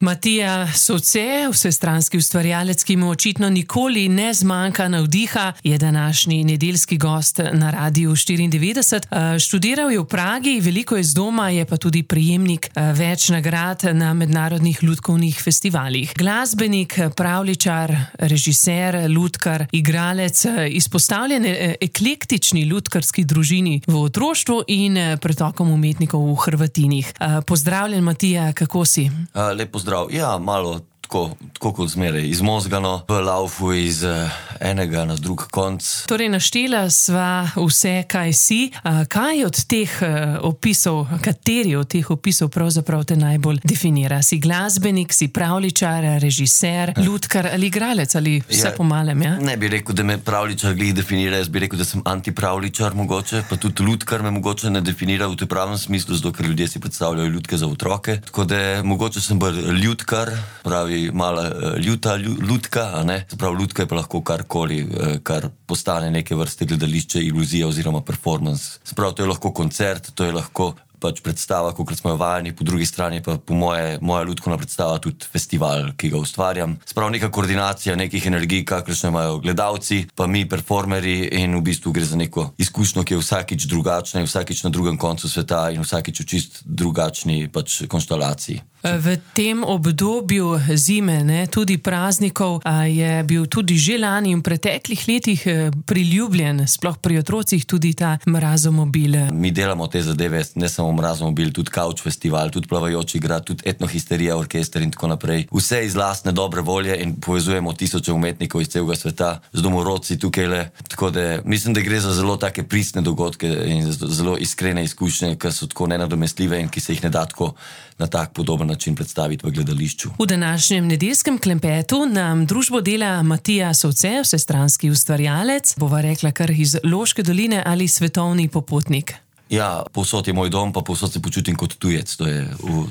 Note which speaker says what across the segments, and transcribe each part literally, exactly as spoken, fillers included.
Speaker 1: Matija Sovce, vsestranski ustvarjalec, ki mu očitno nikoli ne zmanjka navdiha, je današnji nedeljski gost na Radiu štiriindevetdeset. Študiral je v Pragi, veliko je z doma, je pa tudi prejemnik več nagrad na mednarodnih lutkovnih festivalih. Glasbenik, pravljičar, režiser, lutkar, igralec, izpostavljen eklektični lutkarski družini v otroštvu in pretokom umetnikov v Hrvatinih. Pozdravljen, Matija, kako si?
Speaker 2: A, lep pozdrav. Ja, malo tako, tako kot zmeraj, izmozgano, v laufu iz uh, enega na drug konc.
Speaker 1: Torej, naštela sva vse, kaj si. A, kaj od teh uh, opisov, kateri od teh opisov pravzaprav te najbolj definira? Si glasbenik, si pravljičar, režiser, lutkar ali igralec ali vse ja, po malem, ja?
Speaker 2: Ne bi rekel, da me pravljičar glih definira, jaz bi rekel, da sem antipravljičar mogoče, pa tudi lutkar me mogoče ne definira v tem pravem smislu, zato ker ljudje si predstavljajo lutke za otroke. Tako da mogoče sem bolj lutkar, pravi mala ljuta lutka, a ne? Prav, lutka je pa lahko karkoli, kar postane neke vrste gledališče, iluzija oziroma performance. Sprav, to je lahko koncert, to je lahko pač predstava, kakor smo jo vajeni, po drugi strani pa po moje, moja lutkovna predstava tudi festival, ki ga ustvarjam. Sprav, neka koordinacija nekih energij, kakršne imajo gledalci, pa mi, performerji, in v bistvu gre za neko izkušnjo, ki je vsakič drugačna in vsakič na drugem koncu sveta in vsakič v čist drugačni pač konstelaciji.
Speaker 1: V tem obdobju zime, ne, tudi praznikov, je bil tudi že lani in v preteklih letih priljubljen, sploh pri otrocih, tudi ta Mrazomobil.
Speaker 2: Mi delamo te zadeve, ne samo Mrazomobil, tudi Couch festival, tudi Plavajoči grad, tudi Etnohisterija orkester in tako naprej. Vse iz lastne dobre volje in povezujemo tisoče umetnikov iz celega sveta z domorodci tukajle. Tako da mislim, da gre za zelo take pristne dogodke in zelo iskrene izkušnje, ki so tako nenadomestljive in ki se jih ne da tako na tak podoben način predstaviti v gledališču.
Speaker 1: V današnjem nedeljskem klempetu nam družbo dela Matija Sovce, vsestranski ustvarjalec, bova rekla kar iz Loške doline ali svetovni popotnik.
Speaker 2: Ja, povsod je moj dom, pa povsod se počutim kot tujec, to je,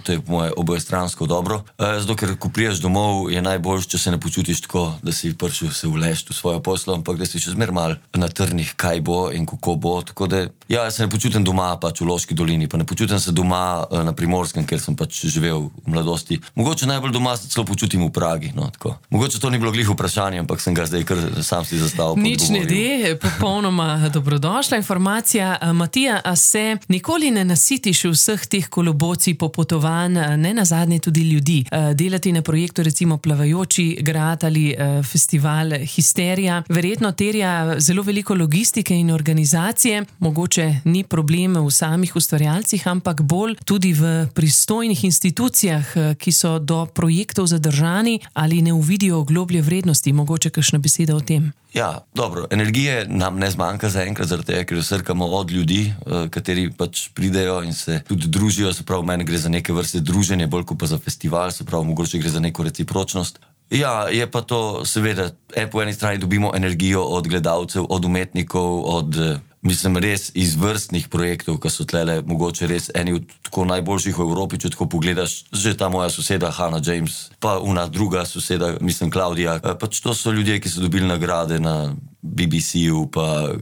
Speaker 2: to je moje obojestransko dobro. E, zato, ker ko priješ domov, je najboljš, če se ne počutiš tako, da si prišel se vlešt v svojo poslo, ampak da si še zmer mal na trnih, kaj bo in kako bo. Tako da, ja, jaz se ne počutim doma pač v Loški dolini, pa ne počutim se doma na Primorskem, ker sem pač živel v mladosti. Mogoče najbolj doma se celo počutim v Pragi, no, tako. Mogoče to ni bilo glih vprašanje, ampak sem ga zdaj kar sam si zastavil.
Speaker 1: Nič ne de, popolnoma dobrodošla informacija. Matija, se nikoli ne nasitiš vseh teh kolobocij, popotovanj, ne nazadnje tudi ljudi. Delati na projektu recimo Plavajoči grad ali festival Histerija verjetno terja zelo veliko logistike in organizacije. Mogoče ni problem v samih ustvarjalcih, ampak bolj tudi v pristojnih institucijah, ki so do projektov zadržani ali ne uvidijo globlje vrednosti. Mogoče kakšna beseda o tem?
Speaker 2: Ja, dobro, energije nam ne zmanjka zaenkrat, zaradi tega, ker jo srkamo od ljudi, kateri pač pridejo in se tudi družijo, se pravi, meni gre za neke vrste druženje, bolj kot pa za festival, se pravi, mogoče gre za neko recipročnost. Ja, je pa to, seveda, po eni strani dobimo energijo od gledalcev, od umetnikov, od, mislim, res izvrstnih projektov, ki so tlele mogoče res eni od tako najboljših v Evropi, če tako pogledaš, že ta moja soseda Hannah James, pa una druga soseda, mislim, Klaudija, pač to so ljudje, ki so dobili nagrade na B B C-ju, pa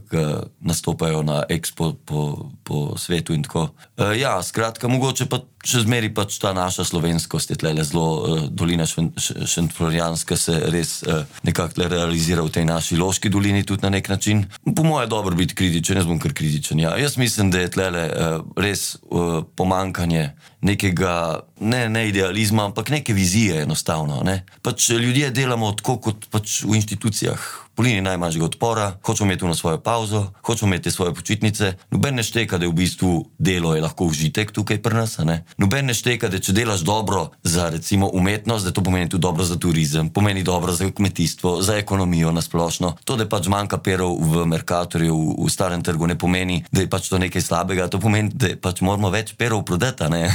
Speaker 2: nastopajo na Expo po, po svetu in tako. E, ja, skratka, mogoče pa še zmeri pač ta naša slovenskost je tlele zelo, uh, dolina Šentflorjanska se res uh, nekako realizira v tej naši Loški dolini tudi na nek način. Po moje dobro biti kritičen, jaz bom kar kritičen, ja. Jaz mislim, da je tlele uh, res uh, pomankanje nekega, ne, ne idealizma, ampak neke vizije enostavno, ne. Pač ljudje delamo tako kot pač v institucijah, po liniji najmanjšega odpora, hočemo imeti na svojo pauzo, hočemo imeti svoje počitnice, noben ne šteka, da je v bistvu delo je lahko užitek tukaj pri nas, a ne. Noben ne šteka, da če delaš dobro za recimo umetnost, da to pomeni tudi dobro za turizem, pomeni dobro za kmetijstvo, za ekonomijo nasplošno. To, da pač manjka perov v Mercatorju, v, v starem trgu, ne pomeni, da je pač to nekaj slabega, to pomeni, da pač moramo več perov prodati, ne.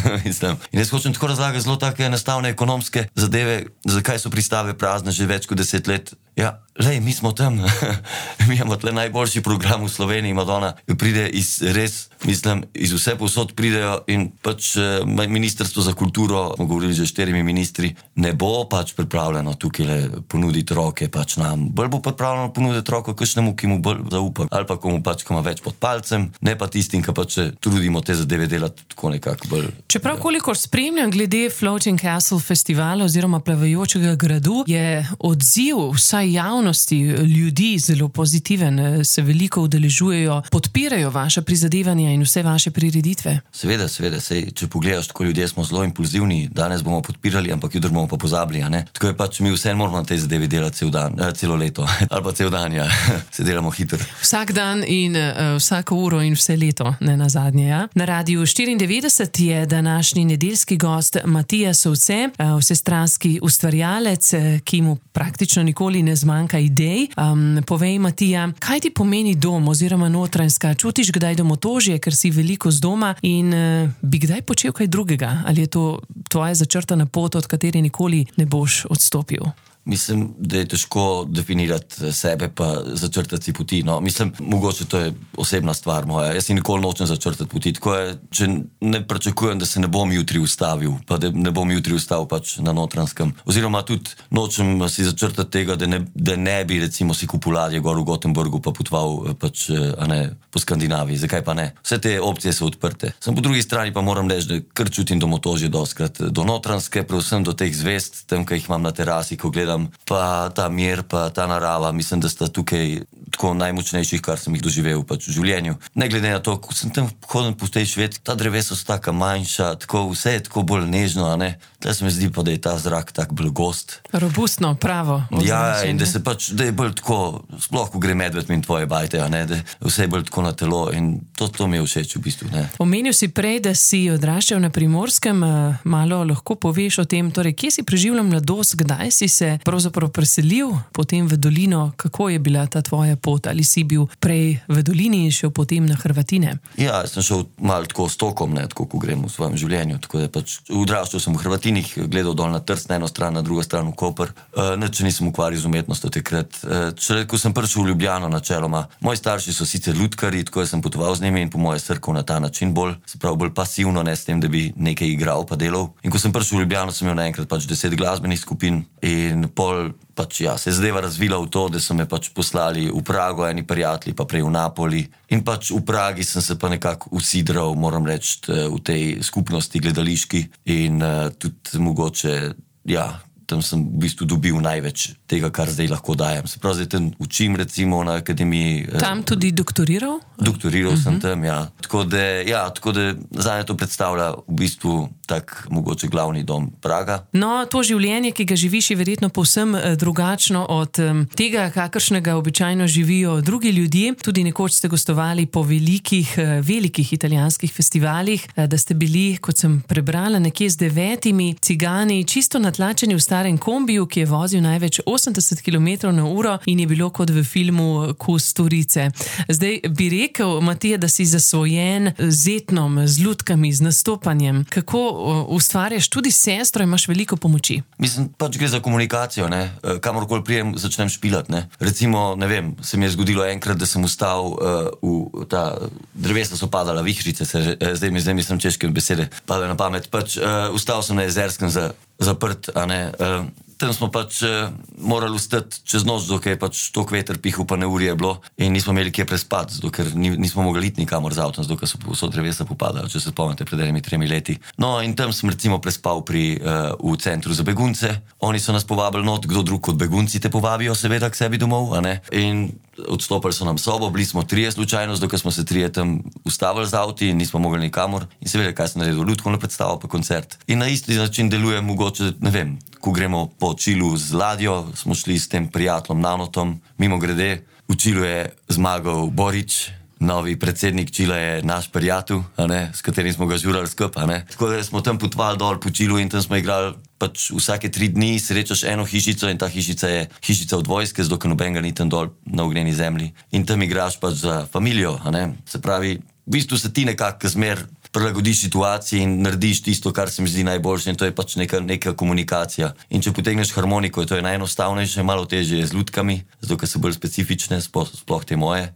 Speaker 2: In jaz hočem tako razlagati zelo take enostavne ekonomske zadeve, zakaj so pristave prazne že več kot deset let. Ja, lej, mi smo tam, mi imamo tle najboljši program v Sloveniji, Madonna pride iz res, mislim, iz vse povsod pridejo in pač Ministrstvo za kulturo, smo govorili že štirimi ministri, ne bo pač pripravljeno tukaj le ponuditi roke pač nam, bolj bo pripravljeno ponuditi roko kakšnemu, ki mu bolj zaupa, ali pa komu pač, ko ima več pod palcem, ne pa tistim, ki pač trudimo te zadeve delati tako nekako bolj.
Speaker 1: Čeprav kolikor spremljam glede Floating Castle festivala oziroma plavajočega gradu, je odziv vsaj javnosti, ljudi zelo pozitiven, se veliko udeležujejo, podpirajo vaše prizadevanja in vse vaše prireditve.
Speaker 2: Seveda, seveda, sej, če pogledaš, tako ljudje smo zelo impulzivni, danes bomo podpirali, ampak jutri bomo pa pozabili, a ne? Tako je pač, mi vse moramo na tej zadevi delati cel dan, eh, celo leto, ali pa cel dan, ja, se delamo hitro.
Speaker 1: Vsak dan in uh, vsako uro in vse leto, ne nazadnje, ja. Na Radiu štiriindevetdeset je današnji nedeljski gost Matija Sovce, uh, vsestranski ustvarjalec, ki mu praktično nikoli ne zmanjka idej. Um, povej, Matija, kaj ti pomeni dom oziroma Notranjska? Čutiš kdaj domotožje, ker si veliko z doma in uh, bi kdaj počel kaj drugega? Ali je to tvoja začrtana pot, od kateri nikoli ne boš odstopil?
Speaker 2: Mislim, da je težko definirati sebe pa začrtati si poti. No, mislim, mogoče to je osebna stvar moja. Jaz si nikoli nočem začrtati poti. Tako je, če ne pričakujem, da se ne bom jutri ustavil, pa da ne bom jutri ustavil pač na Notranjskem. Oziroma tudi nočem si začrtati tega, da ne, da ne bi recimo si kupil ladje gor v Gothenburgu pa potoval pač, a ne, po Skandinaviji. Zakaj pa ne? Vse te opcije so odprte. Sem po drugi strani pa moram reči, da kar čutim domotožje doskrat do Notranjske, predvsem do teh zvest, tam, ki jih imam na terasi, ko gledam pa ta mir, pa ta narava, mislim, da sta tukaj tako najmočnejših, kar sem jih doživel pač v življenju. Ne glede na to, ko sem tam hodil po tej Švedski, ta drevesa so taka manjša, tako vse je tako bolj nežno, a ne? Tle se mi zdi pa, da je ta zrak tak bolj gost.
Speaker 1: Robustno, pravo.
Speaker 2: Ja, in da se pač, da je bolj tako, sploh ko gre medved min tvoje bajte, a ne? Da vse je bolj tako na telo in to, to mi je všeč v bistvu, ne?
Speaker 1: Omenil si prej, da si odraščal na Primorskem, malo lahko poveš o tem, torej, kje si preživljal mladost, kdaj si se pravzaprav preselil potem v dolino, kako je bila ta tvoja pot, ali si bil prej v dolini in šel potem na Hrvatine?
Speaker 2: Ja, sem šel malo tako s tokom, ne, tako ko grem v svojem življenju, tako da pač odraščal sem v Hrvatinih, gledal dol na Trst na eno stran, na drugo stran v Koper, uh, nič nisem ukvarjal z umetnostjo takrat. Uh, če, ko sem prišel v Ljubljano načeloma, moji starši so sicer lutkarji, tako sem potoval z njimi in po moje srkal na ta način bolj, se pravi bolj pasivno, ne s tem, da bi nekaj igral pa delal. In ko sem prišel v Ljubljano, sem imel naenkrat pač deset glasbenih skupin in pol pač ja, se je zadeva razvila v to, da so me pač poslali v Prago, eni prijatelji, pa prej v Napoli. In pač v Pragi sem se pa nekako usidral, moram reči, v tej skupnosti gledališki in uh, tudi mogoče, ja, tam sem v bistvu dobil največ tega, kar zdaj lahko dajem. Se pravi, zdaj tam učim recimo na akademiji.
Speaker 1: Tam tudi doktoriral?
Speaker 2: Doktoriral uh-huh. sem tam, ja. Tako da, ja, tako da zanje to predstavlja v bistvu tak mogoče glavni dom Praga.
Speaker 1: No, to življenje, ki ga živiš, je verjetno povsem drugačno od tega, kakršnega običajno živijo drugi ljudje. Tudi nekoč ste gostovali po velikih, velikih italijanskih festivalih, da ste bili, kot sem prebrala, nekje z devetimi cigani, čisto natlačeni v starem kombiju, ki je vozil največ osemdeset kilometrov na uro in je bilo kot v filmu Kusturice. Zdaj bi rekel, Matija, da si zasvojen z etnom, z lutkami, z nastopanjem. Kako ustvarjaš tudi sestro, imaš veliko pomoči?
Speaker 2: Mislim, pač gre za komunikacijo, ne. Kamorkoli prijem, začnem špilati, ne. Recimo, ne vem, se mi je zgodilo enkrat, da sem ustal uh, v ta drevesa so padala, vihrice se, zdaj mi zdaj mislim češke besede, padajo na pamet. Pač uh, ustal sem na Jezerskem za, zaprt, a ne. Uh, Tam smo pač uh, morali ustati čez noč, dokaj je pač tok veter pihal, pa neurje je bilo in nismo imeli kje prespati, ker ni, nismo mogli iti nikamor z avtom, dokaj so vso drevesa popadali, če se spomnite, pred enimi tremi leti. No in tam sem recimo prespal pri, uh, v centru za begunce. Oni so nas povabili not, kdo drug kot begunci te povabijo seveda k sebi domov, a ne? In odstopili so nam sobo, bili smo trije slučajno, dokaj smo se trije tam ustavili z avti in nismo mogli nikamor. In seveda, kaj sem naredil, lutkovno predstavo pa koncert. In na isti način deluje mogoče, ne vem, ko gremo po Čilu z ladjo, smo šli s tem prijateljem Nanotom, mimo grede, v Čilu je zmagal Borič, novi predsednik Čila je naš prijatelj, a ne, s katerim smo ga žurali skup, a ne. Tako da smo tam potovali dol po Čilu in tam smo igrali pač vsake tri dni, srečaš eno hišico in ta hišica je hišica od vojske, zato ker nobenega ni tam dol na ognjeni zemlji. In tam igraš pač za familijo, a ne. Se pravi, v bistvu se ti nekako zmer prilagodiš situaciji in narediš tisto, kar se mi zdi najboljše, in to je pač neka, neka komunikacija. In če potegneš harmoniko, to je najenostavnejše, malo težje je z lutkami, zato ker so bolj specifične, sploh, sploh te moje.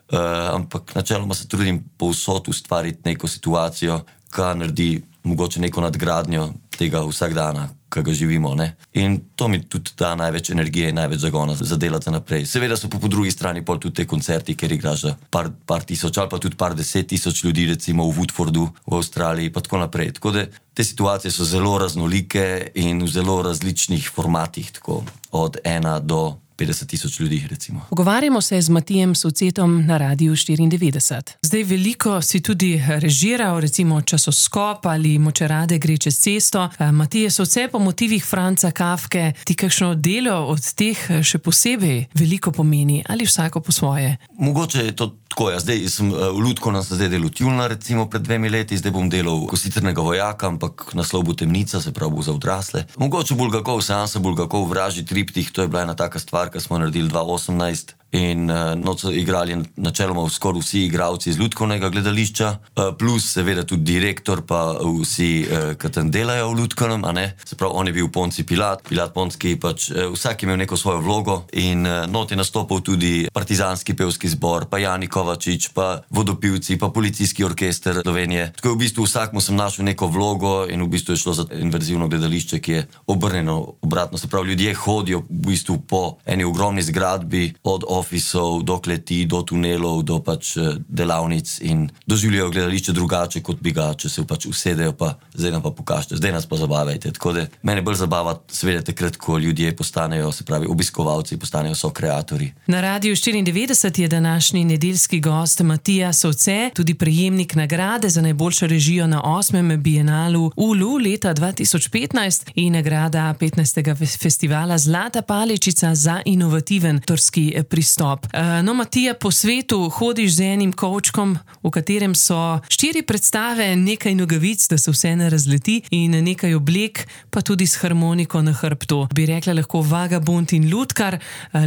Speaker 2: Uh, ampak načeloma se trudim povsod ustvariti neko situacijo, ki naredi mogoče neko nadgradnjo tega vsakdana, ki ga živimo. Ne? In to mi tudi da največ energije in največ zagona za delati naprej. Seveda so pa po drugi strani pol tudi te koncerti, kjer igraš za par, par tisoč ali pa tudi par deset tisoč ljudi, recimo v Woodfordu v Avstraliji pa tako naprej. Tako da te situacije so zelo raznolike in v zelo različnih formatih, tako od ena do petdeset tisoč ljudi, recimo.
Speaker 1: Pogovarjamo se z Matijem Sovcetom na Radiu štiriindevetdeset. Zdaj veliko si tudi režiral, recimo Časoskop ali Močerade gre čez cesto. Matije Sovce po motivih Franca Kafke, ti kakšno delo od teh še posebej veliko pomeni ali vsako po svoje?
Speaker 2: Mogoče je to tako, ja, zdaj sem v Lutkovnem sem zdaj delal Tjulna, recimo pred dvemi leti, zdaj bom delal Kositrnega vojaka, ampak naslov bo Temnica, se pravi bo za odrasle. Mogoče Bulgakov, seansa Bulgakov, Vražji triptih, to je bila ena taka stvar, ki smo naredili dva tisoč osemnajst in uh, noč so igrali načeloma skoraj vsi igralci iz Lutkovnega gledališča, uh, plus seveda tudi direktor pa vsi, uh, ki tam delajo v Lutkovnem, a ne? Se pravi, on je bil Ponci Pilat, Pilat Ponski, pač uh, vsak imel neko svojo vlogo in uh, not je nastopil tudi partizanski pevski zbor, pa Jani Kovačič, pa vodopivci, pa policijski orkester Slovenije. Tako je v bistvu vsak mu sem našel neko vlogo in v bistvu je šlo za inverzivno gledališče, ki je obrnjeno obratno. Se pravi, ljudje hodijo v bistvu po eni ogromni zgradbi, od ofisov, do kleti, do tunelov, do pač delavnic in doživljajo gledališče drugače, kot bi ga, če se pač usedejo, pa zdaj nam pa pokažete, zdaj nas pa zabavajte. Tako da mene bolj zabava seveda takrat, ko ljudje postanejo, se pravi, obiskovalci, postanejo sokreatorji.
Speaker 1: Na Radiu štiriindevetdeset je današnji nedeljski gost Matija Sovce, tudi prejemnik nagrade za najboljšo režijo na osmem bienalu Ulu leta dva tisoč petnajst in nagrada petnajstega festivala Zlata paličica za inovativen avtorski pristop. No, Matija, po svetu hodiš z enim kovčkom, v katerem so štiri predstave, nekaj nogavic, da se vse ne razleti, in nekaj oblek, pa tudi s harmoniko na hrbtu. Bi rekla lahko vagabond in lutkar.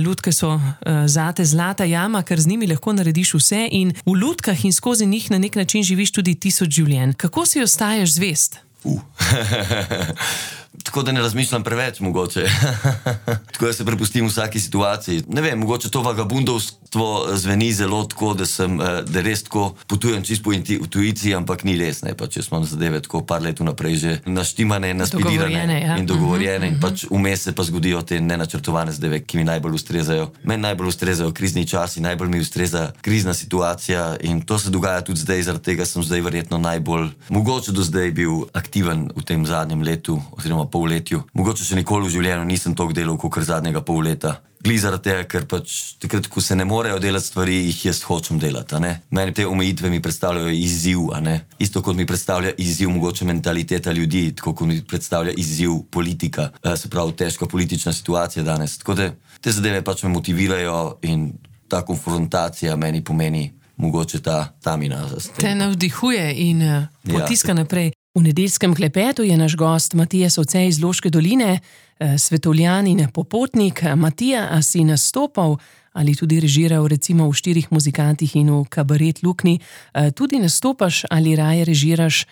Speaker 1: Lutke so zate zlata jama, ker z njimi lahko narediš vse in v lutkah in skozi njih na nek način živiš tudi tisoč življenj. Kako si ostaješ zvest?
Speaker 2: Uh. Tako da ne razmišljam preveč, mogoče. Tako da se prepustim vsaki situaciji. Ne vem, mogoče to vagabundovstvo zveni zelo tako, da sem, da res tako potujem čist po intuiciji, ampak ni res, ne, pač jaz imam zadeve tako par let vnaprej že naštimane, naspidirane
Speaker 1: ja.
Speaker 2: in dogovorjene
Speaker 1: uh-huh,
Speaker 2: in pač vmes se pa zgodijo te nenačrtovane zadeve, ki mi najbolj ustrezajo. Meni najbolj ustrezajo krizni časi, najbolj mi ustreza krizna situacija in to se dogaja tudi zdaj, zaradi tega sem zdaj verjetno najbolj, mogoče do zdaj bil aktiven v tem zadnjem letu, oziroma polletju. Mogoče še nikoli v življenju nisem toliko delal, kot zadnjega pol leta. Gli zaradi tega, ker pač takrat, ko se ne morejo delati stvari, jih jaz hočem delati, a ne. Meni te omejitve mi predstavljajo izziv, a ne. Isto kot mi predstavlja izziv mogoče mentaliteta ljudi, tako kot mi predstavlja izziv politika, se pravi težka politična situacija danes. Tako da te zadeve pač me motivirajo in ta konfrontacija meni pomeni mogoče ta tamina.
Speaker 1: Te navdihuje in uh, potiska ja. naprej. V nedeljskem klepetu je naš gost Matija Sovce iz Loške doline, svetovljan in popotnik. Matija, a si nastopal ali tudi režiral recimo v Štirih muzikantih in v Kabaret Luknji, tudi nastopaš ali raje režiraš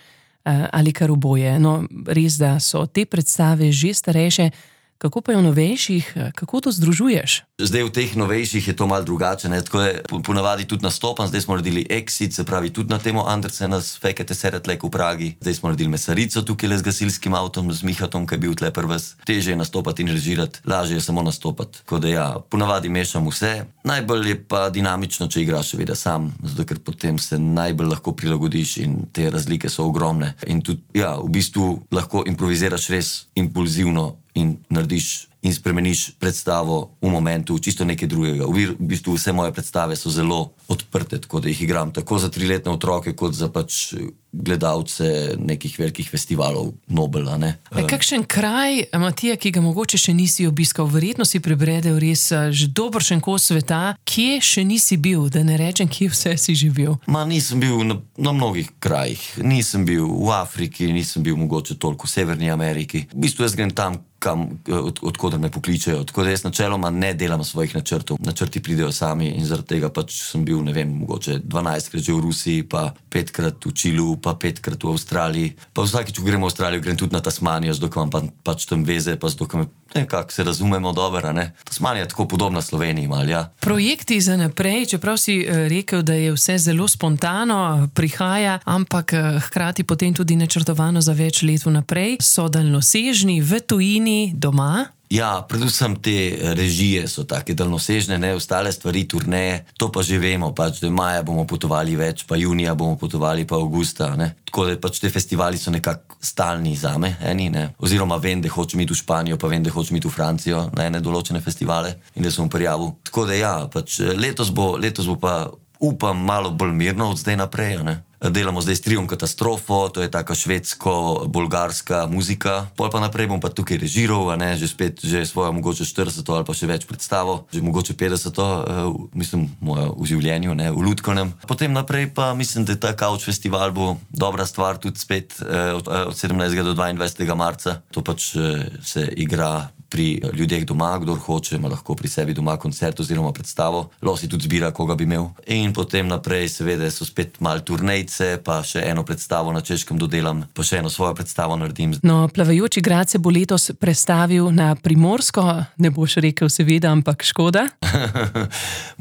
Speaker 1: ali kar oboje? No, res, da so te predstave že starejše. Kako pa je v novejših, kako to združuješ?
Speaker 2: Zdaj v teh novejših je to malo drugače, ne? Tako je ponavadi tudi nastopam, zdaj smo naredili Exit, se pravi tudi na temo Andersena s Fekete Seretlek v Pragi, zdaj smo naredili Mesarico tukaj le z gasilskim avtom, z Mihatom, ki je bil tle prves. Težje je nastopati in režirati, lažje je samo nastopati. Tako da ja, ponavadi mešam vse. Najbolj je pa dinamično, če igraš seveda sam, zato ker potem se najbolj lahko prilagodiš in te razlike so ogromne. In tudi, ja, v bistvu lahko improviziraš res impulzivno in narediš in spremeniš predstavo v momentu, čisto nekaj drugega. V bistvu vse moje predstave so zelo odprte, tako da jih igram tako za triletne otroke, kot za pač gledalce nekih velikih festivalov Nobel, a ne.
Speaker 1: E, kakšen kraj, Matija, ki ga mogoče še nisi obiskal, verjetno si prebredel res že dobršen kos sveta, kje še nisi bil, da ne rečem, kje vse si že bil?
Speaker 2: Ma nisem bil na, na mnogih krajih. Nisem bil v Afriki, nisem bil mogoče toliko v Severni Ameriki. V bistvu jaz grem tam, kam, od, odkudar me pokličejo. Tako da jaz načeloma ne delam svojih načrtov. Načrti pridejo sami in zaradi tega pač sem bil, ne vem, mogoče dvanajstkrat že v Rusiji, pa petkrat v Čilu, pa petkrat v Avstraliji. Pa vsakič, ko grem v Avstralijo, grem tudi na Tasmanijo, zato imam pa, pač tam veze, pa zato me, nekako se razumemo dobro, ne. Tasmanija je tako podobna Sloveniji, mal, ja.
Speaker 1: Projekti za naprej, čeprav si rekel, da je vse zelo spontano, prihaja, ampak hkrati potem tudi načrtovano za več let vnaprej, so daljnosežni v tujini, doma?
Speaker 2: Ja, predvsem te režije so take daljnosežne, ne, ostale stvari, turneje, to pa že vemo, pač, da maja bomo potovali več, pa junija bomo potovali, pa avgusta, ne. Tako da pač te festivali so nekako stalni zame, eni, ne. Oziroma vem, da hočem iti v Španijo, pa vem, da hočem iti v Francijo na ene določene festivale in da sem prijavil. Tako da ja, pač letos bo, letos bo pa, upam, malo bolj mirno od zdaj naprej, ne. Delamo zdaj s triom Katastrofo, to je taka švedsko-bolgarska muzika. Pol pa naprej bom pa tukaj režiral, a ne, že spet, že svojo mogoče štirideseto ali pa še več predstavo, že mogoče petdeseto, uh, mislim, mojo v življenju, ne, v Lutkovnem. Potem naprej pa mislim, da ta Couch festival bo dobra stvar tudi spet uh, od, uh, od sedemnajstega do dvaindvajsetega marca. To pač uh, se igra pri ljudeh doma, kdor hoče, ima lahko pri sebi doma koncert oziroma predstavo. Lahko si tudi zbira, koga bi imel. In potem naprej seveda so spet mal turnejce, pa še eno predstavo na Češkem dodelam, pa še eno svojo predstavo naredim.
Speaker 1: No, Plavajoči grad se bo letos prestavil na Primorsko, ne boš rekel seveda, ampak škoda?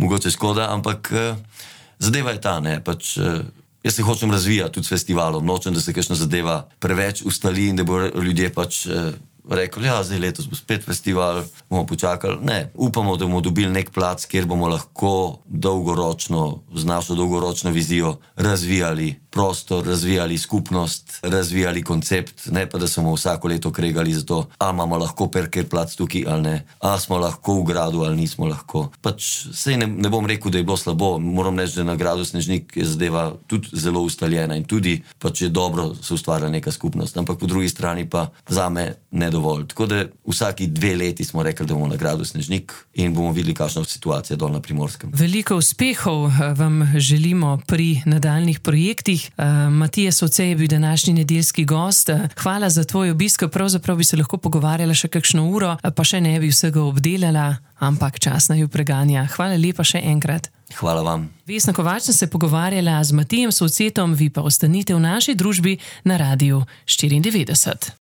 Speaker 2: Mogoče škoda, ampak uh, zadeva je ta, ne, pač... Uh, Jaz se hočem razvijati tudi s festivalom, nočem, da se kakšna zadeva preveč ustali in da bo ljudje pač eh, rekli, ja, zdaj letos bo spet festival, bomo počakali. Ne, upamo, da bomo dobili nek plac, kjer bomo lahko dolgoročno, z našo dolgoročno vizijo razvijali prostor, razvijali skupnost, razvijali koncept, ne pa da smo vsako leto kregali za to, ali imamo lahko perker plac tukaj ali ne, ali smo lahko v gradu ali nismo lahko. Pač sej ne, ne bom rekel, da je bilo slabo, moram reči, da na gradu Snežnik je zadeva tudi zelo ustaljena in tudi pač je dobro se ustvarja neka skupnost, ampak po drugi strani pa zame ne dovolj. Tako da vsaki dve leti smo rekli, da bomo na gradu Snežnik in bomo videli, kakšna situacija dol na Primorskem.
Speaker 1: Veliko uspehov vam želimo pri nadaljnih projektih. Uh, Matija Soce je bil današnji nedeljski gost. Uh, hvala za tvoj obisk, pravzaprav bi se lahko pogovarjala še kakšno uro, pa še ne bi vsega obdelala, ampak čas naju preganja. Hvala lepa še enkrat.
Speaker 2: Hvala vam.
Speaker 1: Vesna Kovač sem se pogovarjala z Matijem Socetom, vi pa ostanite v naši družbi na Radiu štiriindevetdeset.